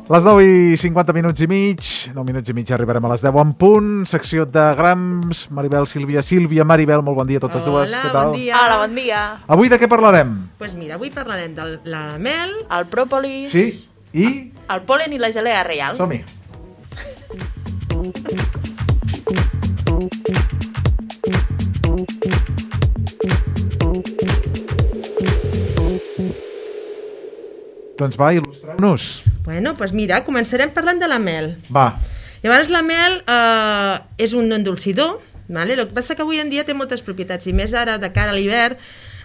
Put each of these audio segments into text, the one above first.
Les 9 i 50 minuts i mig, 9 minuts i mig arribarem a les 10 en punt, secció de grams, Maribel, Sílvia, Maribel, molt bon dia a totes dues. Hola, què tal? bon dia. Hola, bon dia. Avui de què parlarem? Pues mira, avui parlarem de la mel, El pròpolis, Sí, i... el pol·len i la gelea reial. Som-hi. Doncs va, il·lustreu-nos. bueno, pues mira, començarem parlant de la mel. Va, Llavors la mel és un endolcidor, vale? El que passa que avui en dia té moltes propietats, i més ara de cara a l'hivern,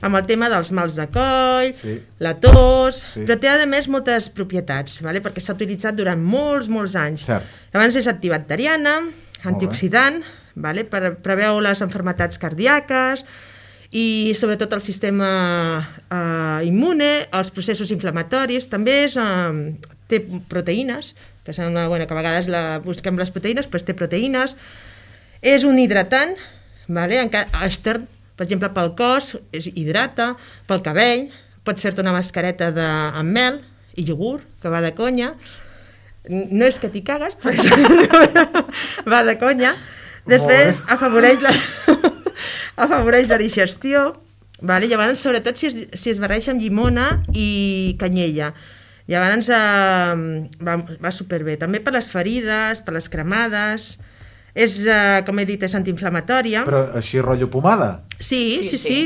amb el tema dels mals de coll, Sí. la tos, Sí. però té a més moltes propietats, vale? Perquè s'ha utilitzat durant molts anys. Cert. Llavors és antibacteriana, bé. antioxidant, vale? Preveu les malalties cardíaques i sobretot el sistema immune, els processos inflamatoris, també té proteïnes, que sembla que a vegades busquem les proteïnes, però té proteïnes, és un hidratant, vale? Extern, per exemple, pel cos, hidrata, pel cabell, pots fer-te una mascareta amb mel i iogurt, que va de conya, no és que t'hi cagues, però va de conya. Després afavoreix la digestió, vale? Llavors, sobretot si es barreja amb llimona i canyella. Llavors va superbé. També per les ferides, per les cremades, com he dit, és antiinflamatòria. però així rotllo pomada? Sí.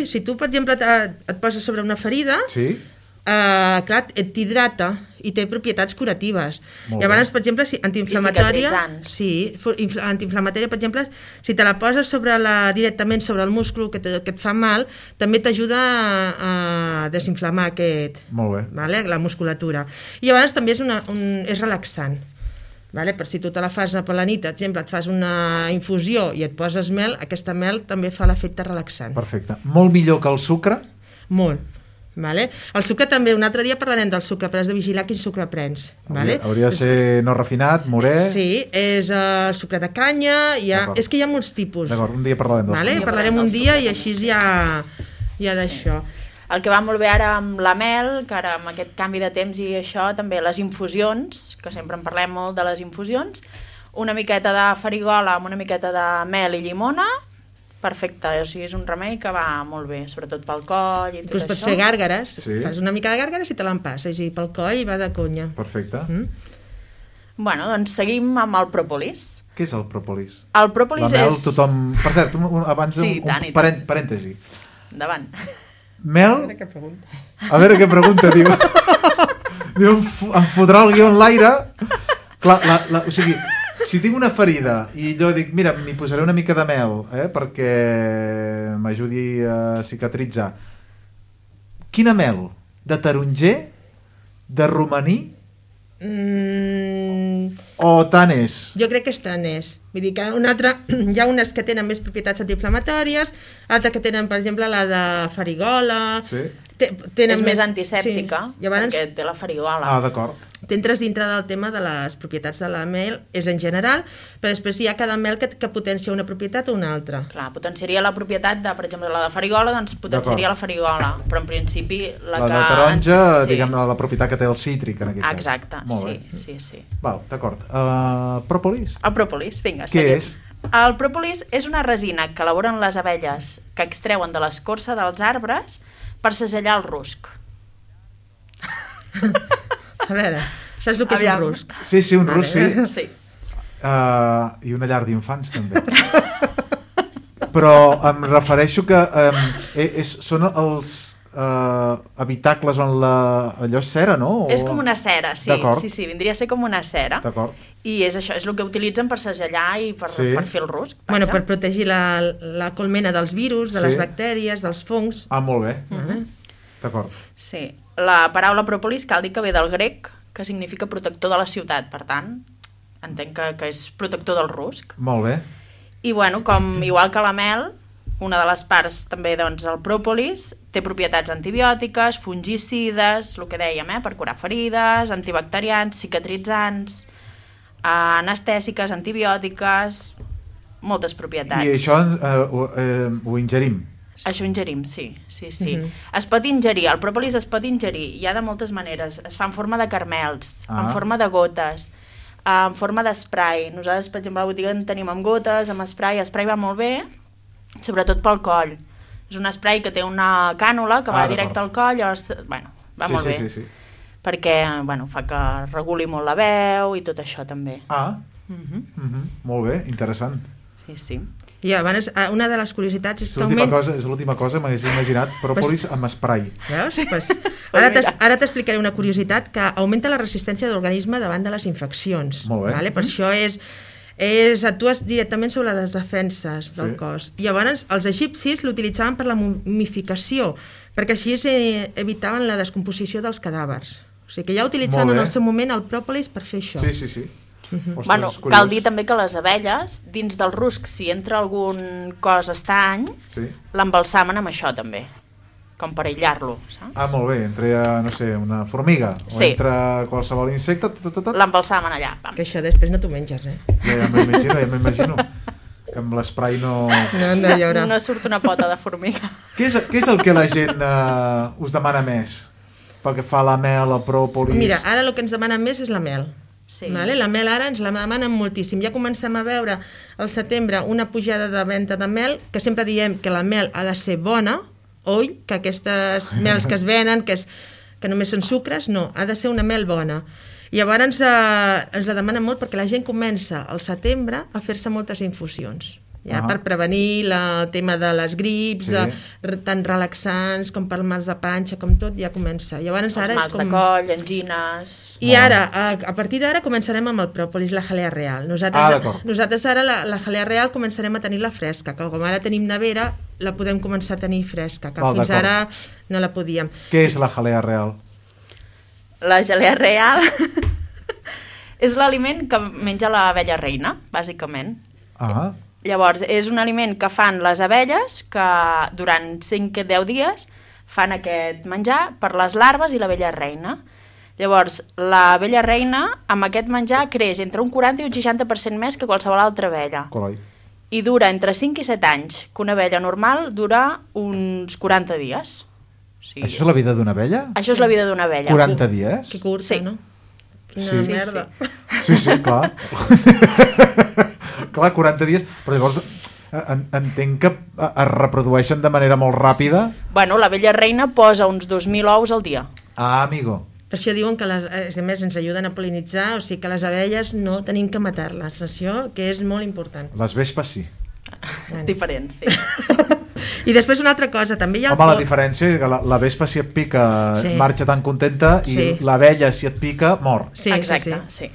Si tu, per exemple, et poses sobre una ferida, Sí? clar, t'hidrata i té propietats curatives. Molt Llavors, bé. per exemple, antiinflamatòria... cicatritzants. Sí, antiinflamatòria, per exemple, si te la poses directament sobre el múscul que et fa mal, també t'ajuda a desinflamar Molt bé. vale? La musculatura. I llavors també és relaxant. Vale? Per si tu te la fas per la nit, per exemple, et fas una infusió i et poses mel, aquesta mel també fa l'efecte relaxant. Perfecte. Molt millor que el sucre? Molt. Vale? El sucre també, un altre dia parlarem del sucre, però has de vigilar quin sucre prens. Vale? Hauria de ser no refinat, morè... Sí, és el sucre de canya, D'acord. és que hi ha molts tipus. D'acord, un dia parlarem del Vale? sucre. Parlarem un dia i així ja d'això. El que va molt bé ara amb la mel, que ara amb aquest canvi de temps i això, també les infusions, que sempre en parlem molt de les infusions, una miqueta de farigola amb una miqueta de mel i llimona, perfecte, o sigui, és un remei que va molt bé, sobretot pel coll i tot Pues això. pots fer gàrgares, Sí. fas una mica de gàrgares i te l'empasses, i pel coll va de conya. Perfecte. Bueno, doncs seguim amb el pròpolis. Què és el pròpolis? El pròpolis La mel, és... tothom... Per cert, abans Sí, tant i tant. parèntesi. Endavant. Mel... Què pregunta? A veure què pregunta, diu. Diu, em fotrà el guió en l'aire. Clar, o sigui, si tinc una ferida i jo dic, mira, m'hi posaré una mica de mel perquè m'ajudi a cicatritzar. Quina mel? De taronger? De romaní? O tanès? Jo crec que és tanès. Vull dir que hi ha unes que tenen més propietats antiinflamatòries, altres que tenen, per exemple, la de farigola... Sí. Tenen És més antisèptica, Sí. Llavors, perquè té la farigola. Ah, d'acord. t'entres dintre del tema de les propietats de la mel, és en general, però després hi ha cada mel que potencia una propietat o una altra. Clar, potenciaria la propietat de, per exemple, la de farigola, doncs potenciaria la farigola, però en principi La que... de taronja, sí. diguem, la propietat que té el cítric, en aquest cas. Exacte, Molt sí, bé. sí. Val, d'acord. Pròpolis? El pròpolis, vinga, Què seguim. és? El pròpolis és una resina que elaboren les abelles que extreuen de l'escorça dels arbres per segellar el rusc. A veure, saps el que és Aviam. un rusc? Sí, un rus, sí. Sí. I una llar d'infants, també. Però em refereixo que són els habitacles on allò és cera, no? És com una cera, sí. D'acord. Sí, vindria a ser com una cera. D'acord. I és això, és el que utilitzen per segellar i per fer el rusc. Vaja. Bueno, per protegir la colmena dels virus, de Sí. les bactèries, dels fongs. Ah, molt bé. Vale? D'acord. Sí. La paraula pròpolis cal dir que ve del grec, que significa protector de la ciutat, per tant, entenc que és protector del rusc. Molt bé. I bueno, igual que la mel, una de les parts també, doncs, el pròpolis té propietats antibiòtiques, fungicides, el que dèiem, per curar ferides, antibacterians, cicatritzants, anestèsiques, antibiòtiques, moltes propietats. I això ho ingerim? Això ingerim, sí. Es pot ingerir, el pròpolis es pot ingerir, hi ha de moltes maneres. Es fa en forma de caramels, en forma de gotes, en forma d'esprai. Nosaltres, per exemple, a la botiga en tenim amb gotes, amb esprai. Esprai va molt bé, sobretot pel coll. És un esprai que té una cànula que va directe al coll, llavors, bueno, va molt bé. Sí. Perquè, bueno, fa que reguli molt la veu i tot això també. Molt bé, interessant. Sí. I abans, una de les curiositats és que és l'última cosa, m'hagués imaginat pròpolis amb esprai. Veus? Ara t'explicaré una curiositat que augmenta la resistència de l'organisme davant de les infeccions. Molt bé. Vale? Per això actues directament sobre les defenses del cos. I llavors els egipcis l'utilitzaven per la momificació, perquè així evitaven la descomposició dels cadàvers. O sigui que ja utilitzaven en el seu moment el pròpolis per fer això. Sí. Bueno, cal dir també que les abelles, dins del rusc, si entra algun cos estany, l'embalsamen amb això també, com per aïllar-lo, saps? Molt bé, entra, no sé, una formiga, o entra qualsevol insecte, l'embalsamen allà. Que això després no t'ho menges, Ja m'imagino, que amb l'esprai no surt una pota de formiga. Què és el que la gent us demana més? Pel que fa a la mel, el pròpolis... Mira, ara el que ens demana més és la mel. Vale? La mel ara ens la demanen moltíssim. Ja comencem a veure al setembre una pujada de venda de mel, que sempre diem que la mel ha de ser bona, que aquestes mels que es venen, que només són sucres, no, ha de ser una mel bona. I llavors ens la demanen molt perquè la gent comença al setembre a fer-se moltes infusions. Per prevenir el tema de les grips, tant relaxants com per mals de panxa, com tot, ja comença. Els mals de coll, angines... I ara, a partir d'ara, començarem amb el pròpolis, la jalea real. Nosaltres ara la jalea real començarem a tenir-la fresca, que com ara tenim nevera, la podem començar a tenir fresca, que fins ara no la podíem. Què és la jalea real? La jalea real és l'aliment que menja l'abella reina, bàsicament. Llavors, és un aliment que fan les abelles que durant 5-10 dies fan aquest menjar per les larves i l'abella reina. Llavors, l'abella reina amb aquest menjar creix entre un 40 i un 60% més que qualsevol altra abella. I dura entre 5 i 7 anys, que una abella normal dura uns 40 dies. Això és la vida d'una abella? Això és la vida d'una abella. 40 dies? Que curta, no? Quina merda. Sí, clar. Clar, 40 dies, però llavors entenc que es reprodueixen de manera molt ràpida. Bueno, l'abella reina posa uns 2.000 ous al dia. Amigo. Per això diuen que, a més, ens ajuden a pol·linitzar, o sigui que les abelles no tenim que matar-les, això que és molt important. Les vespes sí. És diferent, sí. I després una altra cosa, també hi ha... la diferència és que la vespa si et pica marxa tan contenta i l'abella si et pica mor. Exacte, sí.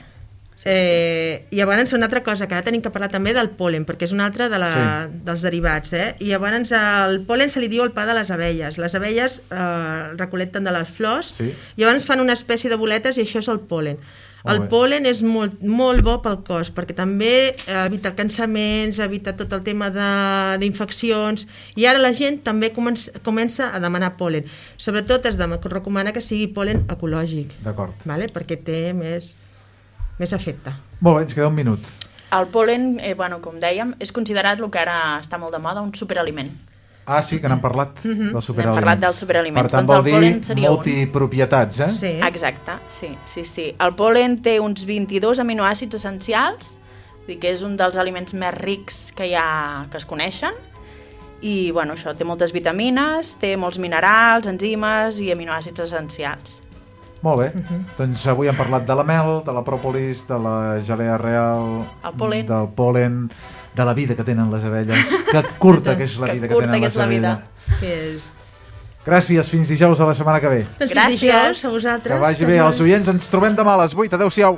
I llavors una altra cosa que ara tenim que parlar també del pol·len, perquè és una altra dels derivats, i llavors el pol·len se li diu el pa de les abelles. Les abelles recol·lecten de les flors i llavors fan una espècie de boletes i això és el pol·len. El pol·len és molt, molt bo pel cos perquè també evita cansaments, evita tot el tema d'infeccions, i ara la gent també comença a demanar pol·len. Sobretot es recomana que sigui pol·len ecològic. D'acord. Perquè té més efecte. Molt bé, ens queda un minut. El pol·len, com dèiem, és considerat el que ara està molt de moda, un superaliment. Sí, que n'hem parlat dels superaliments. N'hem parlat dels superaliments. Per tant, vol dir multipropietats, Sí. Exacte, sí. El pol·len té uns 22 aminoàcids essencials, que és un dels aliments més rics que es coneixen, i això té moltes vitamines, té molts minerals, enzimes i aminoàcids essencials. Molt bé, doncs avui hem parlat de la mel, de la pròpolis, de la jalea real, del pol·len, de la vida que tenen les abelles. Que curta que és la vida que tenen les abelles. Gràcies, fins dijous de la setmana que ve. Gràcies a vosaltres. Que vagi bé, els oients, ens trobem demà a les 8. Adéu-siau.